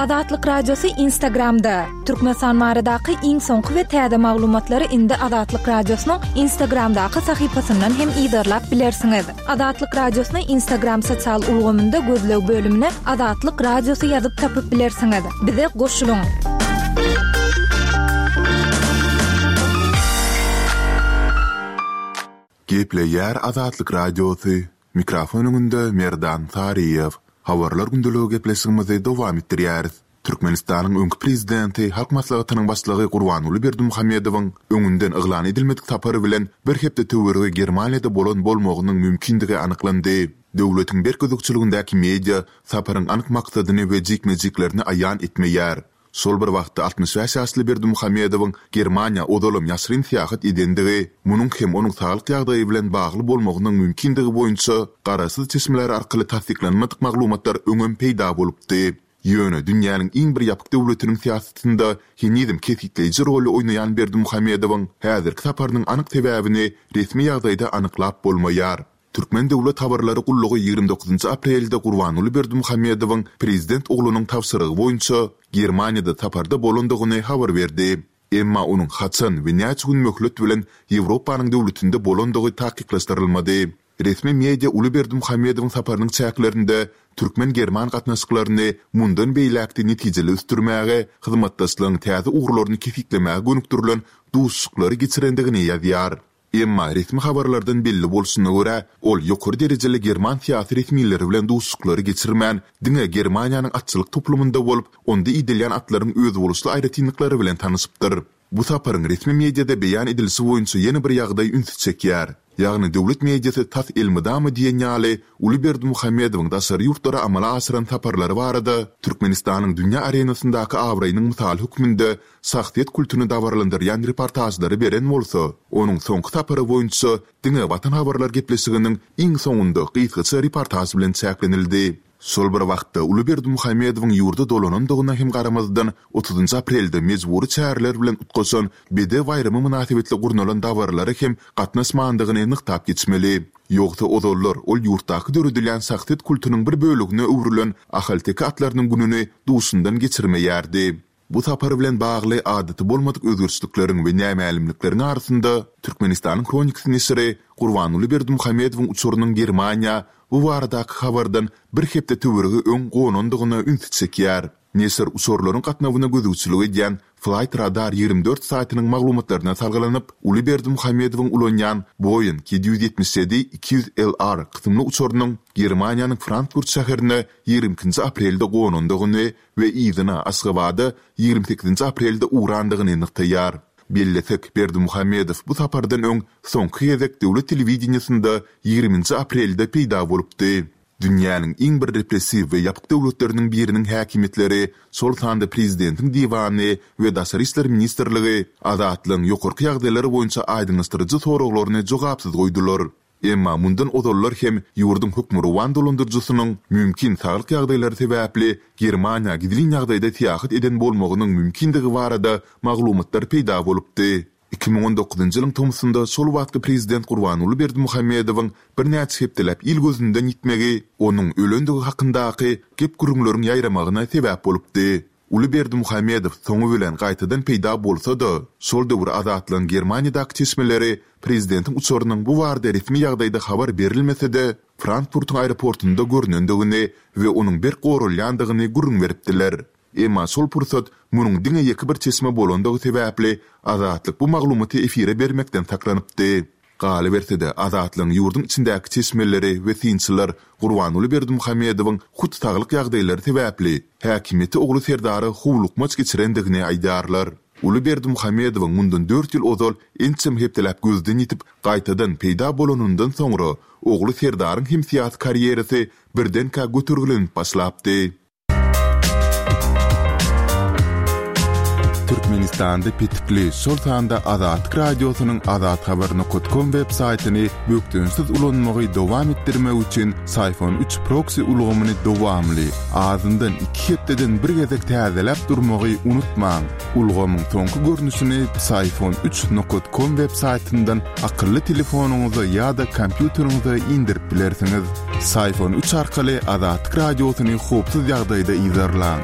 Azatlyk Radiosy Instagramda! Türkmenistan baradaky iň soňky we täze maglumatlary indi Azatlyk Radiosynyň Instagramdaky sahypasyndan hem yzarlap bilersiňiz. Azatlyk Radiosyny Instagram sosial ulgamynda gözleg bölümine Azatlyk Radiosy ýazyp tapyp bilersiňiz. Bize goşulyň! Gepleýär Azatlyk Radiosy, Mikrofon öňünde Merdan Saryýew. Habarlar gündeligi gepleşigimizi dowam etdirýäris. Türkmenistanyň öňki prezidenti, Halk Maslahatynyň Başlygy Gurbanguly Berdimuhamedowyň öňünden yglan edilmedik sapary bilen bir hepde töweregi Germaniýada bolan bolmagynyň mümkindigi anyklandy. Döwletiň berk gözegçiligindäki media saparyň anyk maksadyny we jikme-jiklerini aýan etmeýär. Şol bir wagtda 65 ýaşly Berdimuhamedowyň Germaniýa ozalam ýaşyryn syýahat edendigi, munuň hem onuň saglyk ýagdaýy bilen bagly bolmagynyň mümkindigi boýunça garaşsyz çeşmeler arkaly tassyklanmadyk maglumatlar öňem peýda bolupdy. Ýöne dünýäniň iň bir ýapyk döwletiniň syýasatynda henizem kesgitleýji roly oýnaýan Berdimuhamedowyň häzirki saparynyň anyk sebäbini resmi ýagdaýda anyklap bolmaýar. Türkmen döwlet habarlary gullugy 29 aprelde Gurbanguly Berdimuhamedowyň prezident oglunyň tabşyrygy boýunça Germaniýada saparda bolandygyny habar berdi. Emma onuň haçan we näçe gün möhlet bilen Ýewropanyň döwletinde bolandygy takyklaşdyrylmady. Resmi media uly Berdimuhamedowyň saparynyň çäklerinde türkmen-german gatnaşyklaryny mundan beýläk-de netijeli ösdürmäge, hyzmatdaşlygyň täze ugurlaryny kesgitlemäge gönükdirilen duşuşyklary geçirendigini ýazýar. Emma resmi habarlardan belli bolşuna görä, ol ýokary derejeli german syýasy resmileri bilen duşuşyklary geçirmän, diňe Germaniýanyň atçylyk toplumynda bolup, onda idelýän atlaryň özboluşly aýratynlyklary bilen tanyşypdyr. Bu saparyň resmi mediada beýan edilişi boýunça ýene bir ýagdaý ünsi çekýär. Ýagny döwlet mediasy tas elmydama diýen ýaly uly Berdimuhamedowyň daşary ýurtlara amala aşyran saparlary barada Türkmenistanyň dünýä arenasyndaky abraýynyň mysaly hökmünde şahsyýet kultuny dabaralandyrýan reportažlary beren bolsa, onuň soňky sapary boýunça diňe Watan habarlar gepleşiginiň iň soňunda gysgaça reportaž bilen çäklenildi. Şol bir wagtda, uly Berdimuhamedowyň ýurda dolanandygyna hem garamazdan, otuzynjy aprelde mejbury çäreler bilen utgaşan Bedew baýramy mynasybetli gurnalan dabaralara hem gatnaşmandygyny nygtap geçmeli. Ýogsa ozallar ol ýurtdaky döredilýän şahsyýet kultunyň bir bölegine öwrülen ahalteke atlarynyň gününi duşundan geçirmeýärdi. Bu sapar bilen bagly adaty bolmadyk özgerişlikleriň we nämälimlikleriň arasynda, Türkmenistanyň Hronikasy neşiri Gurbanguly Berdimuhamedowyň uçarynyň Germaniýa bu baradaky habardan bir hepde töweregi öň gonandygyna ünsi çekýär. Neşir uçarlaryň gatnawyna gözegçilik edýän Flight Radar 24 saýtynyň maglumatlaryna salgylanyp, uly Berdimuhamedowyň ulanýan Boeing 777 200 LR kysymly uçarynyň Germaniýanyň Frankfurt şäherine 22-nji aprelde gonandygyny we yzyna Aşgabada 28-nji aprelde ugrandygyny nygtaýar. Bellesek, Berdimuhamedow bu sapardan öň soňky gezek döwlet telewideniýesinde 20-nji aprelde peýda bolupdy. Dünýäniň iň bir repressiw we ýapyk döwletleriniň biriniň häkimiýetleri, şol sanda prezidentiň diwany we Daşary işler ministrligi Azatlygyň ýokarky ýagdaýlar boýunça aýdyňlaşdyryjy soraglaryny jogapsyz goýdular. Emma mundan ozallar hem ýurduň hökmürowan dolandyryjysynyň mümkin saglyk ýagdaýlary sebäpli Germaniýa gizlin ýagdaýda syýahat eden bolmagynyň mümkindigi barada maglumatlar peýda bolupdy. 2019-njy ýylyň tomsunda şol wagtky prezident Gurbanguly Berdimuhamedowyň birnäçe hepdeläp il gözünden ýitmegi onuň ölendigi hakyndaky gep-gürrüňleriň ýaýramagyna sebäp bolupdy. Uly Berdimuhamedow soňy bilen gaýtadan peýda bolsa-da, şol döwür Azatlygyň Germaniýadaky çeşmeleri prezidentiň uçarynyň bu barada resmi ýagdaýda habar berilmese-de, Frankfurtyň aeroportunda görnendigini we onuň berk goralýandygyny gürrüň beripdiler. Emma şol pursat munuň diňe ýeke bir çeşme bolandygy sebäpli, Azatlyk bu maglumaty efire bermekden saklanypdy. Galyberse-de, Azatlygyň ýurduň içindäki çeşmeleri we synçylar Gurbanguly Berdimuhamedowyň hut saglyk ýagdaýlary sebäpli, häkimiýeti ogly Serdara howlukmaç geçirendigini aýdýarlar. Uly Berdimuhamedowyň mundan dört ýyl ozal ençeme hepdeläp gözden ýitip, gaýtadan peýda bolanyndan soňra, ogly Serdaryň hem syýasy karýerasy birdenkä götergilenip başlapdy. Türkmenistanda petikli, şol sanda Azatlyk Radiosynyň azathabar.com web saýtyny bökdençsiz ulanmagy dowam etdirmek üçin Syfon 3 proksi ulgamyny dowamly, azyndan iki hepdeden bir gezek täzeläp durmagy unutmaň. Ulgamyň soňky görnüşini Psiphon 3 nokat com web saýtyndan akylly telefonyňyza ýa-da kompýuteriňize indirip bilersiňiz. Psiphon 3 arkaly Azatlyk Radiosyny howpsuz ýagdaýda yzarlaň.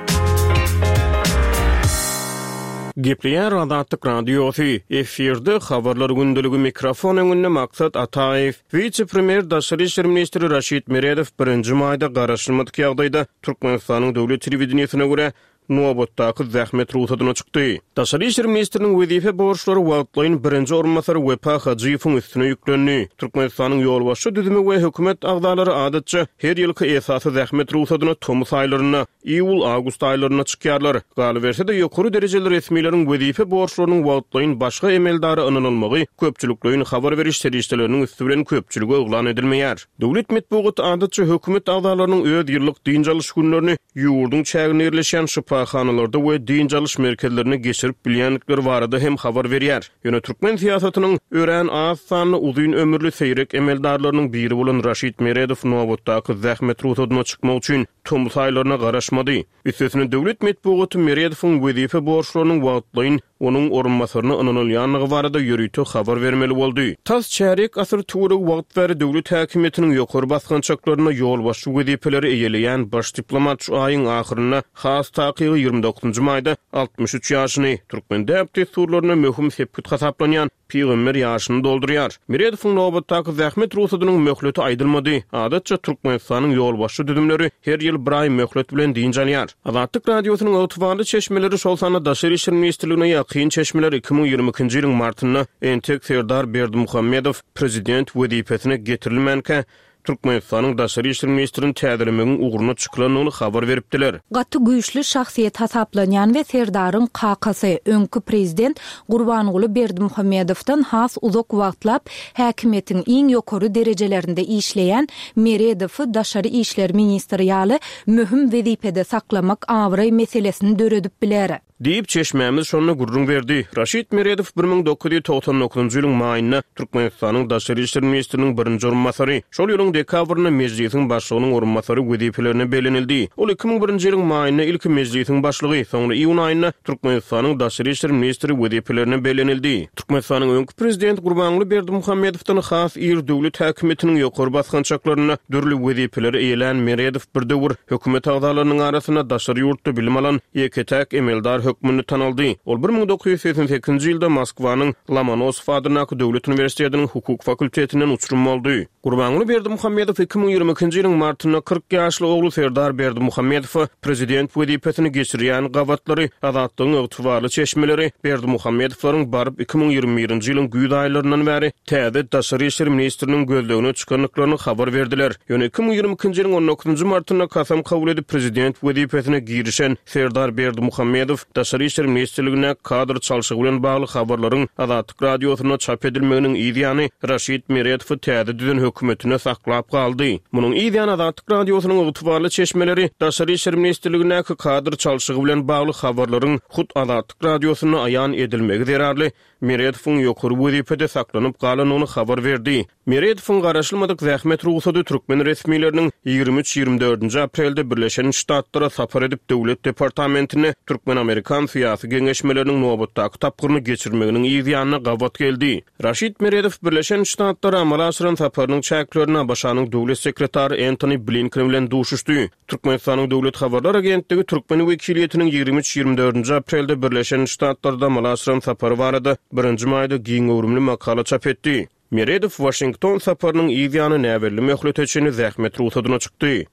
Gepleýär Azatlyk Radiosy, efirde Habarlar gündeligi mikrofon öňünde Maksat Ataýew. Wise-premýer, daşary işler ministri Raşid Meredow birinji maýda garaşylmadyk ýagdaýda Türkmenistanyň döwlet telewideniýesine görä, nobatdaky zähmet rugsadyna çykdy. Daşary işler ministriniň wezipe borçlary wagtlaýyn birinji orunbasary Wepa Hajyýewiň üstüne ýüklendi. Türkmenistanyň ýolbaşçy düzümi we hökümet agzalary adatça her ýylky esasy zähmet rugsadyna tomus aýlarynda, iýul-awgust aýlarynda çykýarlar. Galyberse-de, ýokary derejeli resmileriň wezipe borçlarynyň wagtlaýyn başga emeldara ynanylmagy köpçülikleýin habar beriş serişdeleriniň üsti bilen köpçülige yglan edilmeýär. Döwlet metbugaty adatça hökümet agzalarynyň öz ýyllyk dynç alyş günlerini ýurduň çäginde ýerleşýän şypahanalarda we dynç alyş merkezlerinde geçirip bilýändikleri barada hem habar berýär. Ýöne türkmen syýasatynyň örän az sanly uzyn ömürli seýrek emeldarlarynyň biri bolan Raşid Meredow nobatdaky zähmet rugsadyna çykmak üçin tomus aýlaryna garaşmady. Üstesine döwlet metbugaty Meredowyň wezipe borçlarynyň wagtlaýyn onuň orunbasaryna ynanylýandygy barada ýörite habar bermeli boldy. Tas çärýek asyr töweregi wagt bäri döwlet häkimiýetiniň ýokary basgançaklarynda ýolbaşçy wezipeleri eýeleýän baş diplomat şu aýyň ahyrynda, has takygy 29 maýda 63 ýaşyny, türkmen däp-dessurlarynda möhüm sepgit hasaplanýan Pygamber ýaşyny doldurýar. Meredowyň nobatdaky zähmet rugsadynyň möhleti aýdylmady. Adatça, Türkmenistanyň ýolbaşçy düzümleri her ýyl bir aý möhlet bilen dynç alýar. Azatlyk Radiosynyň ygtybarly çeşmeleri, şol sanda Daşary işler ministrligine ýakyn çeşmeler 2022-nji ýylyň martynda entek Serdar Berdimuhamedow prezident wezipesine getirilmänkä, Türkmenistanyň daşary işler ministrini täzelemegiň ugruna çykylandygyny habar beripdiler. Gaty güýçli şahsyýet hasaplanýan we Serdaryň kakasy, öňki prezident Gurbanguly Berdimuhamedowdan has uzak wagtlap häkimiýetiň iň ýokary derejelerinde işleýän Meredowy daşary işler ministri ýaly möhüm wezipede saklamak abraý meselesini döredip biler. Diýip, çeşmämiz şonda gürrüň berdi. Raşid Meredow 1999-njy ýylyň maýynda Türkmenistanyň daşary işler ministriniň birinji orunbasary, şol ýylyň dekabrynda Mejlisiň Başlygynyň orunbasary wezipelerine bellenildi. Ol 2001-nji ýylyň maýynda ilki Mejlisiň Başlygy, soňra iýun aýynda Türkmenistanyň daşary işler ministri wezipelerine bellenildi. Türkmenistanyň öňki prezidenti Gurbanguly Berdimuhamedowdan has ir döwlet häkimiýetiniň ýokary basgançaklarynda dürli wezipeleri eýelän Meredow bir döwür hökümet agzalarynyň arasynda daşary ýurtda bilim alan ýeke-täk emeldar hökmünde tanaldy. Ol 1988-nji ýylda Moskwanyň Lomonosow adyndaky döwlet uniwersitetiniň hukuk fakultetinden uçurym boldy. Gurbanguly Berdimuhamedow 2022-nji ýylyň martynda 40 ýaşly ogly Serdar Berdimuhamedowa prezident wezipesini geçirýän gabatlary Azatlygyň ygtybarly çeşmeleri Berdimuhamedowlaryň baryp 2021-nji ýylyň güýz aýlaryndan bäri täze daşary işler ministriniň gözlegine çykandyklaryny habar berdiler. Ýöne 2022-nji ýylyň on dokuzynjy martynda kasam kabul edip prezident wezipesine girişen Serdar Berdimuhamedow Daşary işler ministrligindäki kadr çalşygy bilen bagly habarlaryň Azatlyk Radiosynda çap edilmeginiň yz ýany Raşid Meredowy täze düzen hökümetinde saklap galdy. Munuň yz ýany Azatlyk Radiosynyň ygtybarly çeşmeleri Daşary işler ministrligindäki kadr çalşygy bilen bagly habarlaryň hut Azatlyk Radiosynda aýan edilmegi zerarly Meredowyň ýokary wezipede saklanyp galandygyny habar berdi. Meredowyň garaşylmadyk zähmet rugsady türkmen resmileriniň 23, 24-nji aprelde Birleşen Ştatlara sapar edip Döwlet departamentinde türkmen-amerikan syýasy geňeşmeleriniň nobatdaky tapgyryny geçirmeginiň yz ýanyna gabat geldi. Raşid Meredow Birleşen Ştatlara amala aşyran saparynyň çäklerinde ABŞ-nyň Döwlet sekretary Entoni Blinken bilen duşuşdy. Türkmenistanyň Döwlet habarlar agentligi türkmen wekiliýetiniň 23, 24-nji aprelde Birleşen Ştatlarda amala aşyran sapary barada birinji maýda giň göwrümli makala çap etdi. Meredow Waşington saparynyň yz ýany näbelli möhlete çenli zähmet rugsadyna çykdy.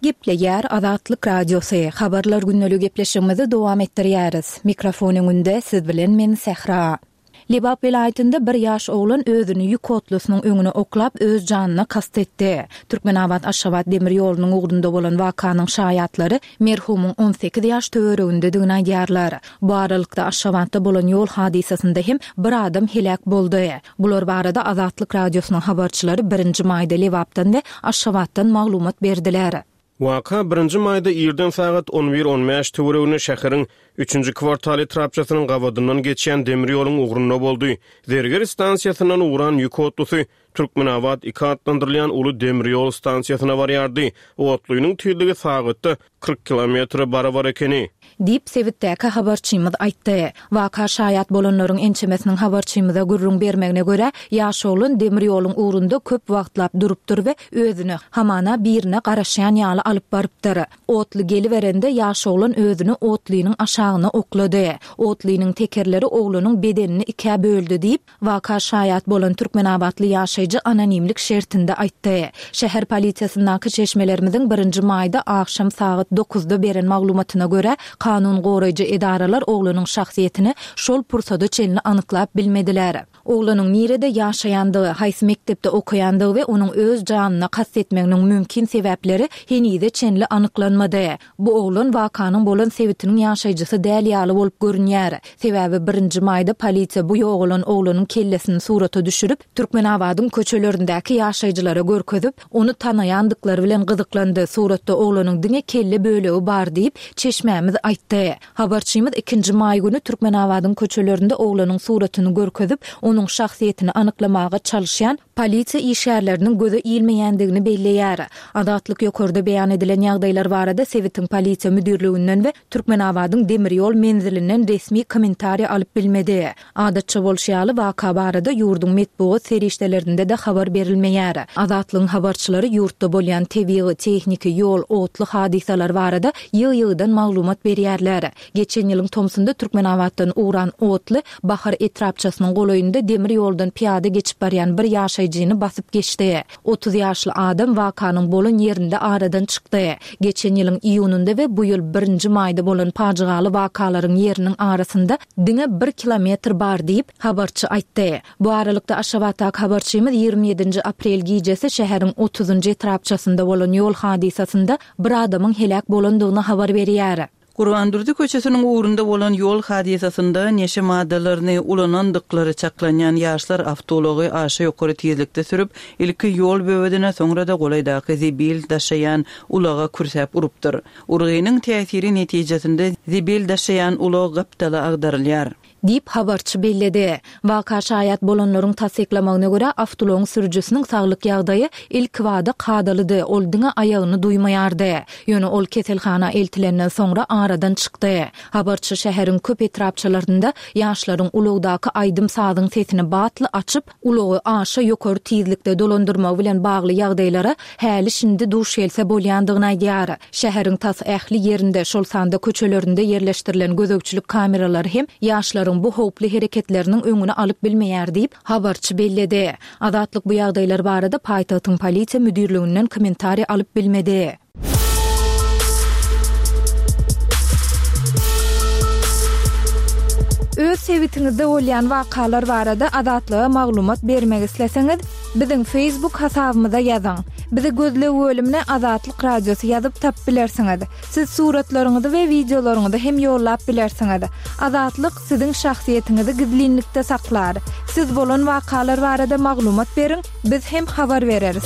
Gepleýär Azatlyk Radiosy, Habarlar gündeligi gepleşigimizi dowam etdirýäris. Mikrofon öňünde siz bilen men Sähra. Lebap welaýatynda bir ýaş oglan özüni ýük otlusynyň öňüne oklap, öz janyna kast etdi. Türkmenabat-Aşgabat demir ýolunyň ugrunda bolan wakanyň şaýatlary merhumyň 18 ýaş töweregindedigini aýdýarlar. Bu aralykda Aşgabatda bolan ýol hadysasynda hem bir adam heläk boldy. Bular barada Azatlyk Radiosynyň habarçylary birinji maýda Lebapdan we Aşgabatdan maglumat berdiler. Waka birinji maýda irden sagat on bir on bäş töwereginde şäheriň Üçünji kwartal etrapçasynyň gabadyndan geçýän demir ýoluň ugrunda boldy. Zerger stansiýasyndan ugran ýük otlusy. Türkmenabat iki atlandyrylýan uly demir ýol stansiýasyna barýardy. Otlynyň tizligi sagatda 40 kilometre barabar ekeni. Diýip, sebitdäki habarçymyz aýtdy. Waka şaýat bolanlaryň ençemesiniň habarçymyza gürrüň bermegine görä, ýaş oglan demir ýoluň ugrunda köp wagtlap durupdyr we özüni, hamana, birine garaşýan ýaly alyp barypdyr. Otly geliberende, ýaş oglan özüni otlynyň aşagyna oklady. Otlynyň tekerleri oglanyň bedenini ikä böldi diýip, Waka şaýat bolan türkmenabatly ýaşaýjy anonimlik şertinde aýtdy. Şäher polisiýasyndaky çeşmelerimiziň birinji maýda agşam sagat dokuzda beren maglumatyna görä, kanun goraýjy edaralar oglanyň şahsyýetini şol pursada çenli anyklap bilmediler. Oglanyň nirede ýaşaýandygy, haýsy mekdepde okaýandygy we onuň öz janyna kast etmeginiň mümkin sebäpleri henize çenli anyklanmady. Bu oglan wakanyň bolan sebitiniň ýaşaýjysy däl ýaly bolup görünýär. Sebäbi birinji maýda polisiýa bu ýogalan oglanyň kellesini surata düşürip, Türkmenabadyň köçelerindäki ýaşaýjylara görkezip, ony tanaýandyklary bilen gyzyklandy, suratda oglanyň diňe kelle bölegi bar diýip, çeşmämiz aýtdy. Habarçymyz ikinji maý güni Türkmenabadyň köçelerinde oglanyň suratyny görkezip, onuň şahsyýetini anyklamaga çalyşýan polisiýa işgärleriniň göze ilmeýändigini belleýär. Azatlyk ýokarda beýan edilen ýagdaýlar barada sebitiň polisiýa müdirliginden we Türkmenabadyň demir ýol menzilinden resmi kommentariý alyp bilmedi. Adatça bolşy ýaly, waka barada ýurduň metbugat serişdelerinde-de habar berilmeýär. Azatlygyň habarçylary ýurtda bolýan tebigy, tehniki, ýol, otly hadysalar barada ýygy-ýygydan maglumat berýärler. Geçen ýylyň tomsunda Türkmenabatdan ugran otly Bahar etrapçasynyň golaýynda demir ýoldan pyýada geçip barýan bir ýaşaýjyny basyp geçdi. 30 ýaşly adam wakanyň bolan ýerinde aradan çykdy. Geçen ýylyň iýunynda we bu ýyl birinji maýda bolan pajygaly wakalaryň ýeriniň arasynda diňe bir kilometr bar diýip, habarçy aýtdy. Bu aralykda, Aşgabatdaky habarçymyz 27 nji aprel gijesi şäheriň otuzynjy etrapçasynda bolan ýol hadysasynda bir adamyň heläk bolandygyny habar berýär. Gurbandurdy köçesiniň ugrunda bolan ýol hadysasynda neşe maddalaryny ulanandyklary çaklanýan ýaşlar awtoulagy aşa ýokary tizlikde sürüp, ilki ýol böwedine, soňra-da golaýdaky zibil daşaýan ulaga kürsäp urupdyr. Urgynyň täsiri netijesinde zibil daşaýan ulag gapdala agdarylýar. Diýip, habarçy belledi. Waka şaýat bolanlaryň tassyklamagyna görä, awtoulagyň sürüjisiniň saglyk ýagdaýy ilkibada kadalydy, ol diňe aýagyny duýmaýardy. Ýöne ol keselhana eltilenden soňra aradan çykdy. Habarçy şäheriň köp etrapçalarynda ýaşlaryň ulagdaky aýdym-sazyň sesini batly açyp, ulagy aşa ýokary tizlikde dolandyrmagy bilen bagly ýagdaýlara häli-şindi duş gelse bolýandygyny aýdýar. Şäheriň tas ähli ýerinde, şol sanda köçelerinde ýerleşdirilen gözegçilik kameralary hem ýaşlaryň bu howply hereketleriniň öňüni alyp bilmeýär diýip, habarçy belledi. Azatlyk bu ýagdaýlar barada paýtagtyň polisiýa müdirliginden kommentariý alyp bilmedi. Öz sebitiňizde bolýan wakalar barada Azatlyga maglumat bermek isleseňiz, biziň Facebook hasabymyza ýazyň. Bizi gözleg bölümine Azatlyk Radiosy ýazyp tapyp bilersiňiz. Siz suratlaryňyzy we wideolaryňyzy hem ýollap bilersiňiz. Azatlyk siziň şahsyýetiňizi gizlinlikde saklar. Siz bolan wakalar barada maglumat beriň, biz hem habar bereris.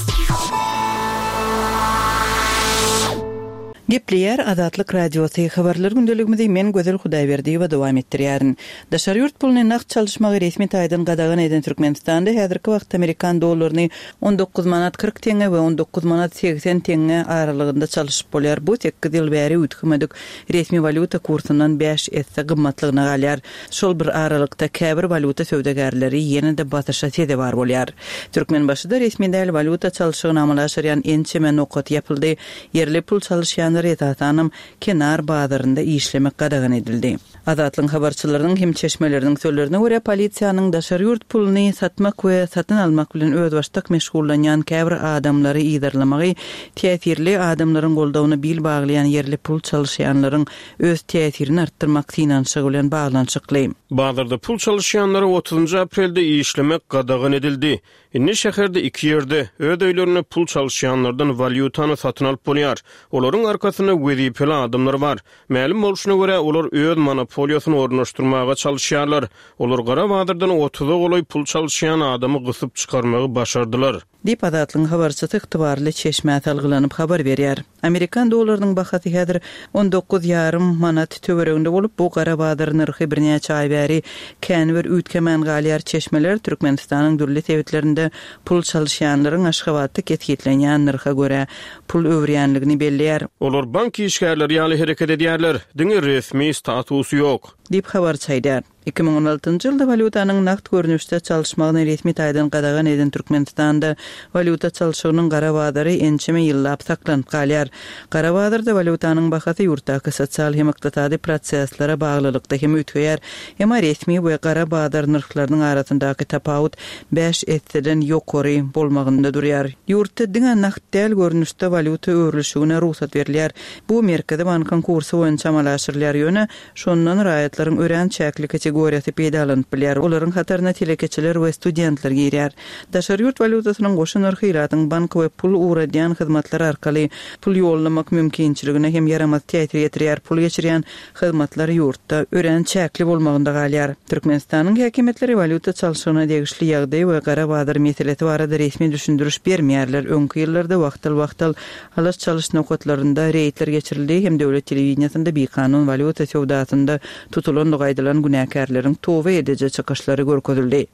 Gepleýär Azatlyk Radiosy, Habarlar gündeligimizi men Gözel Hudaýberdiýewa dowam etdirýärin. Daşary ýurt puluny nagt çalyşmagy resmi taýdan gadagan eden Türkmenistanda häzirki wagtda amerikan dollaryny 19 manat 40 teňňe we 19 manat 80 teňňe aralygynda çalyşyp bolýar. Bu sekiz ýyl bäri üýtgemedik resmi walýuta kursyndan bäş esse gymmatlygyna galýar. Şol bir aralykda käbir walýuta söwdagärleri ýene-de basyşa sezewar bolýar. Türkmenbaşyda resmi däl walýuta çalşygyny amala aşyrýan ençeme nokat ýapyldy. Ýerli pul çalyşýanlara esasanam kenar bazarynda işlemek gadagan edildi. Azatlygyň habarçylarynyň hem çeşmeleriniň sözlerine görä, polisiýanyň daşary ýurt puluny satmak we satyn almak bilen özbaşdak meşgullanýan käbir adamlary yzarlamagy täsirli adamlaryň goldawyna bil baglaýan ýerli pul çalyşýanlaryň öz täsirini artdyrmak synanyşygy bilen baglanyşykly. Bazarda pul çalyşýanlara otuzynjy aprelde işlemek gadagan edildi. Indi şäherde iki ýerde, öz öýlerinde pul çalyşýanlardan walýutany satyn alyp bolýar. Olaryň arkasynda wezipeli adamlar bar. Mälim bolşuna görä, olar öz monopoliýasyny ornaşdyrmaga çalyşýarlar. Olar gara bazardan otuza golaý pul çalyşýan adamy gysyp çykarmagy başardylar. Diýip, Azatlygyň habarçysy ygtybarly çeşmä salgylanyp habar berýär. Amerikan dollarynyň bahasy häzir 19 ýarym manat töwereginde bolup, bu gara bazar nyrhy birnäçe aý bäri kän bir üýtgemän galýar. Çeşmeler Türkmenistanyň dürli sebitlerinde. hem-de pul çalyşýanlaryň Aşgabatda kesgitlenýän nyrha görä pul öwürýänligini belleýär. Olar bank işgärleri ýaly hereket edýärler, diňe resmi statusy ýok. Diýip, habarçy aýdýar. 2016-njy ýylda walýutanyň nagt görnüşde çalyşmagyny resmi taýdan gadagan eden Türkmenistanda walýuta çalşygynyň gara bazary ençeme ýyllap saklanyp galýar. Gara bazarda walýutanyň bahasy ýurtdaky sosial hem ykdysady proseslere baglylykda hem üýtgeýär. Emma resmi we gara bazar nyrhlarynyň arasyndaky tapawut bäş esseden ýokary bolmagynda durýar. Ýurtda diňe nagt däl görnüşde walýuta öwrülişigine rugsat berilýär. Bu Merkezi bankyň kursy boýunça amala aşyrylýar, ýöne şondan raýatlaryň örän çäkli kategoriýasy peýdalanyp bilýär, olaryň hataryna telekeçiler we studentler girýär. Daşary ýurt walýutasynyň goşa nyrhy ilatyň bank we pul ugradýan hyzmatlary arkaly pul ýollamak mümkinçiligine hem ýaramaz täsir ýetirýär, pul geçirýän hyzmatlar ýurtda örän çäkli bolmagynda galýar. Türkmenistanyň häkimiýetleri walýuta çalşygyna degişli ýagdaý we gara bazar meselesi barada resmi düşündiriş bermeýärler, öňki ýyllarda wagtal-wagtal Alyş-çalyş nokatlarynda reýdler geçirildi hem döwlet telewideniýesinde bikanun walýuta söwdasynda tutulandygy aýdylan günäkärleriň toba ediji çykyşlary görkezildi.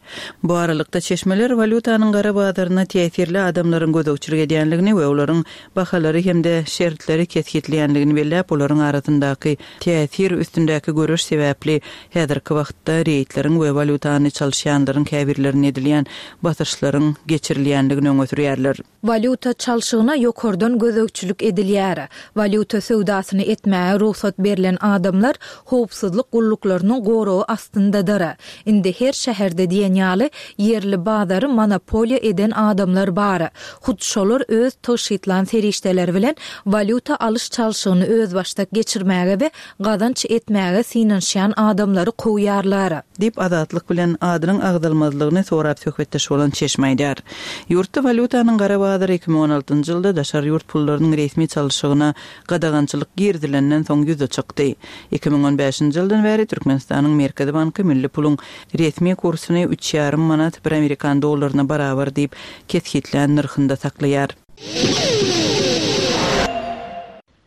Bu aralykda, çeşmeler walýutanyň gara bazaryna täsirli adamlaryň gözegçilik edýändigini we olaryň bahalary hem-de şertleri kesgitleýändigini belläp, olaryň arasyndaky täsir üstündäki göreş sebäpli häzirki wagtda reýdleriň we walýutany çalyşýanlaryň käbirlerine edilýän basyşlaryň geçirilýändigini öňe sürýärler. Walýuta çalşygyna ýokardan gözegçilik edilýär. Walýuta söwdasyny etmäge rugsat berlen adamlar howpsuzlyk gulluklarynyň goragy astyndadyr. Indi her şäherde diýen ýaly ýerli bazary monopoliýa eden adamlar bar. Hut şolar öz tygşytlan serişdeleri bilen walýuta alyş-çalşygyny özbaşdak geçirmäge we gazanç etmäge synanyşýan adamlary kowýarlar. Diýip, Azatlyk bilen adynyň agzalmazlygyny sorap söhbetdeş bolan çeşme aýdýar. Ýurtda walýutanyň gara bazary 2016-njy ýylda daşary ýurt pullarynyň resmi çalşygyna gadagançylyk girizilenden soň ýüze çykdy. 2015-nji ýyldan bäri Türkmenistanyň Merkezi banky milli puluň resmi kursuny üç ýarym manat bir amerikan dollaryna barabar diýip kesgitlän nyrhynda saklaýar.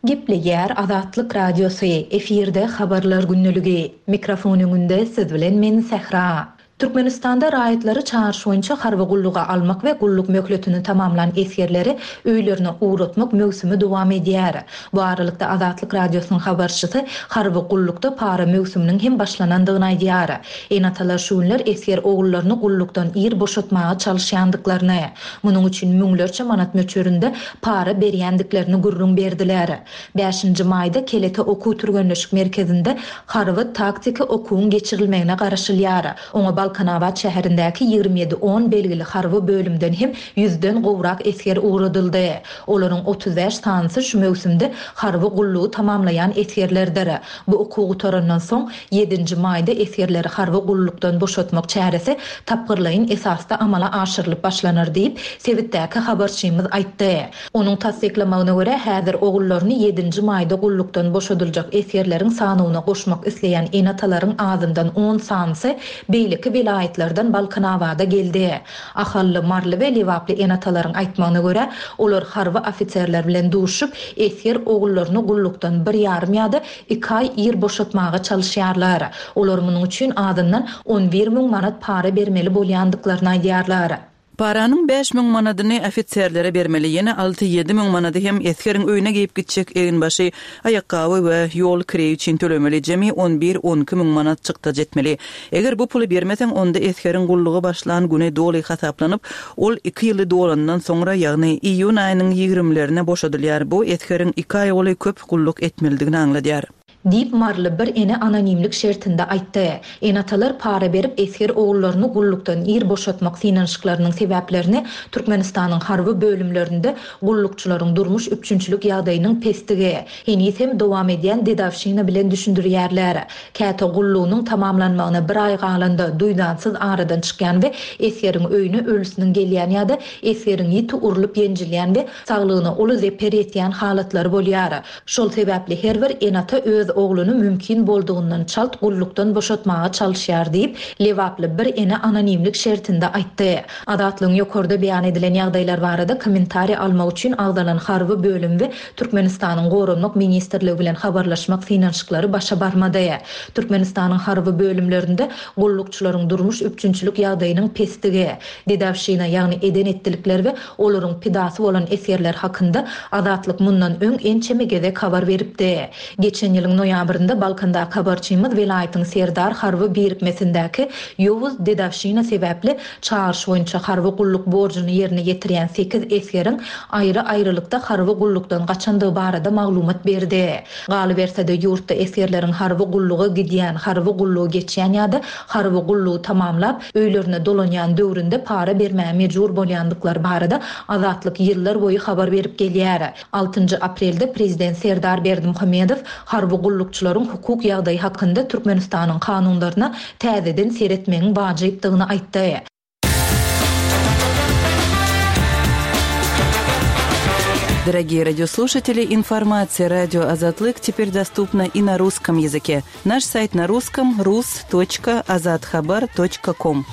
Gepleýär Azatlyk Radiosy, efirde Habarlar gündeligi. Mikrofon öňünde siz bilen men Sähra. Türkmenistanda raýatlary çagyryş boýunça harby gulluga almak we gulluk möhletini tamamlan esgerleri öýlerine ugratmak möwsümi dowam edýär. Bu aralykda Azatlyk Radiosynyň habarçysy harby gullukda para möwsüminiň hem başlanandygyny aýdýar. Ene-atalar şu günler esger ogullaryny gullukdan ir boşatmaga çalyşýandyklaryny, munuň üçin müňlerçe manat möçberinde para berýändiklerini gürrüň berdiler. Bäşinji maýda Kelete okuw-türgenleşik merkezinde harby-taktiki okuwyň geçirilmegine garaşylýar. Oňa Balkanabat şäherindäki 27 on belgili harby bölümden hem ýüzden gowrak esger ugradyldy. Olaryň 35 sanysy şu möwsümde harby gullugy tamamlaýan esgerlerdir. Bu okuw gutarandan soň, ýedinji maýda esgerleri harby gullukdan boşatmak çäresi tapgyrlaýyn esasda amala aşyrylyp başlanar diýip, sebitdäki habarçymyz aýtdy. Onuň tassyklamagyna görä, häzir ogullaryny ýedinji maýda gullukdan boşadyljak esgerleriň sanawyna goşmak isleýän ene-atalaryň azyndan on sanysy beýleki welaýatlardan Balkanabada geldi. Ahally, maryly we lebaply ene-atalaryň aýtmagyna görä, olar harby ofiserler bilen duşup, esger ogullaryny gullukdan bir ýarym ýa-da iki aý ir boşatmaga çalyşýarlar. Olar munuň üçin azyndan 11 müň manat para bermeli bolýandyklaryny aýdýarlar. Paranyň 5000 manadyny ofiserlere bermeli, ýene alty-ýedi müň manady hem esgeriň öýüne geýip gitjek eginbaşy, aýakgaby we ýol kireýi üçin tölemeli, jemi on bir-on iki müň manat çykdajy etmeli. Eger bu puly bermeseň, onda esgeriň gulluga başlan güni doly hasaplanyp, ol iki ýyly dolandan soňra, ýagny iýun aýynyň ýigrimlerine boşadylýar. Bu esgeriň iki aý golaý köp gulluk etmelidigini aňladýar. Diýip, maryly bir ene anonimlik şertinde aýtdy. Ene-atalar para berip esger ogullaryny gullukdan ir boşatmak synanyşyklarynyň sebäplerini Türkmenistanyň harby bölümlerinde gullukçylaryň durmuş üpjünçilik ýagdaýynyň pesdigi, heniz hem dowam edýän dedowşina bilen düşündirýärler. Käte gullugynyň tamamlanmagyna bir aý galanda, duýdansyz aradan çykýan we esgeriň öýüne ölüsiniň gelýän ýa-da esgeriň ýiti urlup-ýenjilýän we saglygyna uly zeper ýetýän halatlary bolýar. Şol sebäpli her bir ene-ata öz. ogluny mümkin boldugyndan çalt gullukdan boşatmaga çalyşýar diýip, lebaply bir ene anonimlik şertinde aýtdy. Azatlygyň ýokarda beýan edilen ýagdaýlar barada kommentariý almak üçin agzalan harby bölüm we Türkmenistanyň Goranmak ministrligi bilen habarlaşmak synanyşyklary başa barmady. Türkmenistanyň harby bölümlerinde gullukçylaryň durmuş üpjünçilik ýagdaýynyň pesdigi, dedowşina, ýagny eden-etdilikler we olaryň pidasy bolan esgerler hakynda Azatlyk mundan öň ençeme gezek habar beripdi. Geçen ýylyň noýabrynda Balkandaky habarçymyz welaýatyň Serdar harby birikmesindäki ýowuz dedowşina sebäpli çagyryş boýunça harby gulluk borjuny ýerine ýetirýän sekiz esgeriň aýry-aýrylykda harby gullukdan gaçandygy barada maglumat berdi. Galyberse-de, ýurtda esgerleriň harby gulluga gidýän, harby gullugy geçýän ýa-da harby gullugy tamamlap, öýlerine dolanýan döwründe para bermäge mejbur bolýandyklary barada Azatlyk ýyllar boýy habar berip gelýär. Altynjy aprelde prezident Serdar Berdimuhamedow harby gullukçylaryň hukuk ýagdaýy hakynda Türkmenistanyň kanunlaryna täzeden seretmegiň wajypdygyny aýtdy. Дорогие радиослушатели, информация радио Азатлык теперь доступна и на русском языке. Наш сайт на русском rus.azathabar.com.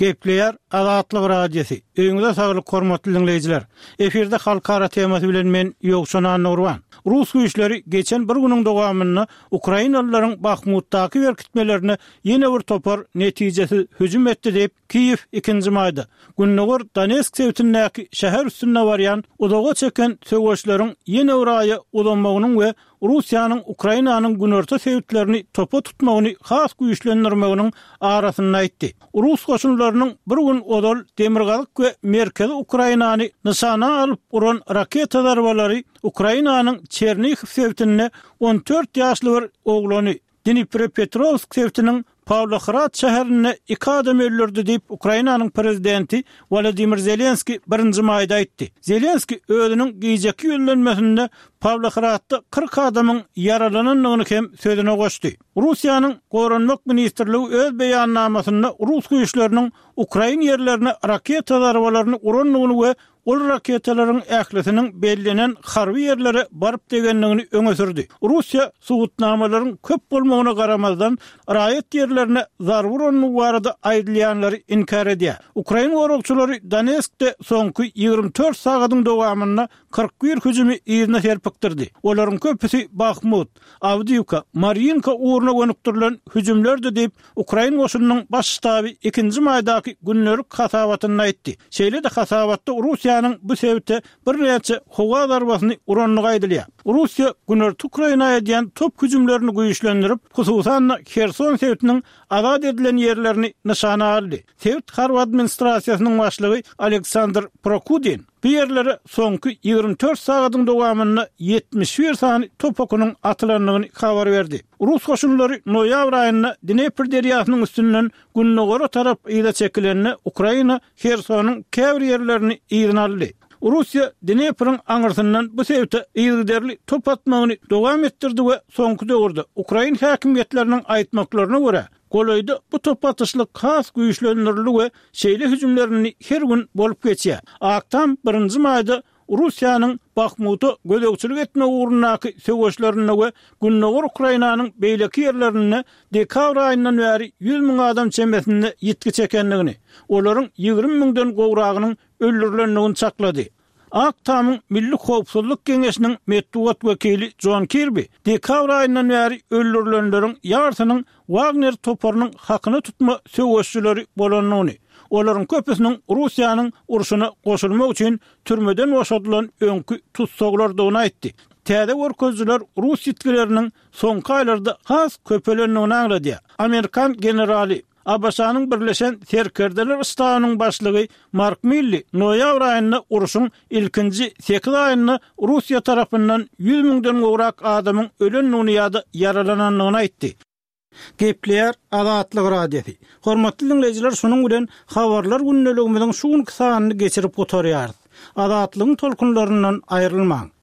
Gepleýär Azatlyk Radiosy. Öýüňize saglyk hormatly diňleýjiler. Efirde halkara temasy bilen men Ýowşan Annagurban. Rus güýçleri geçen bir günüň dowamynda ukrainalylaryň Bahmutdaky berkitmelerine ýene bir topar netijesiz hüjüm etdi diýip, Kiýew ikinji maýda, gündogar Donetsk sebitindäki şäher üstünde barýan uzaga çeken söweşleriň ýene bir aýa uzamagynyň we Russiýanyň Ukrainanyň günorta sebitlerini topa tutmagyny has güýçlendirmeginiň arasynda aýtdy. Rus goşunlarynyň bir gün ozal demirgazyk we merkezi Ukrainany nyşana alyp uran raketa zarbalary Ukrainanyň Çernihiw sebitinde 14 ýaşly bir oglany, Dniprepetrowsk sebitiniň Pawlohrad şäherinde iki adam öldürdi diýip, Ukrainanyň prezidenti Wolodymyr Zelenskiý birinji maýda aýtdy. Zelenskiý özüniň gijeki ýüzlenmesinde Pawlohradda 40 adamyň ýaralanandygyny hem sözüne goşdy. Russiýanyň Goranmak ministrligi öz beýannamasynda rus güýçleriniň ukrain ýerlerine raketa zarbalaryny urandygyny we Ol raketalaryň ählisiniň bellenen harby ýerlere baryp degendigini öňe sürdi. Russiýa subutnamalaryň köp bolmagyna garamazdan, raýat ýerlerine zarba urandygy barada aýdylýanlary inkär edýär. Ukrain goragçylary Donetskde soňky 24 sagadyň dowamynda 41 hüjümi yzyna serpikdirdi. Olaryň köpüsi Bahmut, Awdiýwka, Marýinka ugruna gönükdirilen hüjümlerdi diýip, Ukrain goşunynyň Baş ştaby ikinji maýdaky gündelik hasabatynda aýtdy. Şeýle-de hasabatda Russiýanyň bu sebite birnäçe howa zarbasyny urandygy aýdylýar. Russiýa günorta Ukraina edýän top hüjümlerini güýçlendirip, hususan-da Herson sebitiniň azat edilen ýerlerini nyşana aldy. Sebit harby administrasiýasynyň başlygy Aleksandr Prokudin bu ýerlere soňky 24 sagadyň dowamynda 71 sany top okunyň atylandygyny habar berdi. Rus goşunlary noýabr aýynda Dnepr derýasynyň üstünden gündogara tarap yza çekilende, Ukraina Hersonyň käbir ýerlerini yzyna aldy. Russiýa Dnepriň aňyrsyndan bu sebite yzygiderli top atmagyny dowam etdirdi we soňky döwürde, ukrain häkimiýetleriniň aýtmaklaryna görä, golaýda bu top atyşlyk has güýçlendirildi we şeýle hüjümler indi her gün bolup geçýär. Ak Tam birinji maýda Russiýanyň Bahmuta gözegçilik etmek ugrundaky söweşlerinde we gündogar Ukrainanyň beýleki ýerlerinde dekabr aýyndan bäri 100 müň adam çemesinde ýitgi çekendigini, olaryň 20 müňden gowragynyň öldürilendigini çaklady. Ak Tamyň Milli howpsuzlyk geňeşiniň metbugat wekili Jon Kirbi dekabr aýyndan bäri öldürilenleriň ýarsynyň Wagner toparynyň hakyna tutma söweşijileri bolandygyny, olaryň köpüsiniň Russiýanyň urşuna goşulmak üçin türmeden boşadylan öňki tussaglardygyny aýtdy. Täze görkezijiler rus ýitgileriniň soňky aýlarda has köpelendigini aňladýar. Amerikan generaly, ABŞ-nyň Birleşen Serkerdeler ştabynyň başlygy Mark Milli noýabr aýynda urşuň ilkinji sekiz aýynda Russiýa tarapyndan ýüz müňden gowrak adamyň ölendigini ýa-da ýaralanandygyny aýtdy. Gepleýär Azatlyk Radiosy. Hormatly diňleýjiler şunuň bilen Habarlar gündeligimiziň şu günki sanyny geçirip gutarýarys. Azatlygyň tolkunlaryndan aýrylmaň.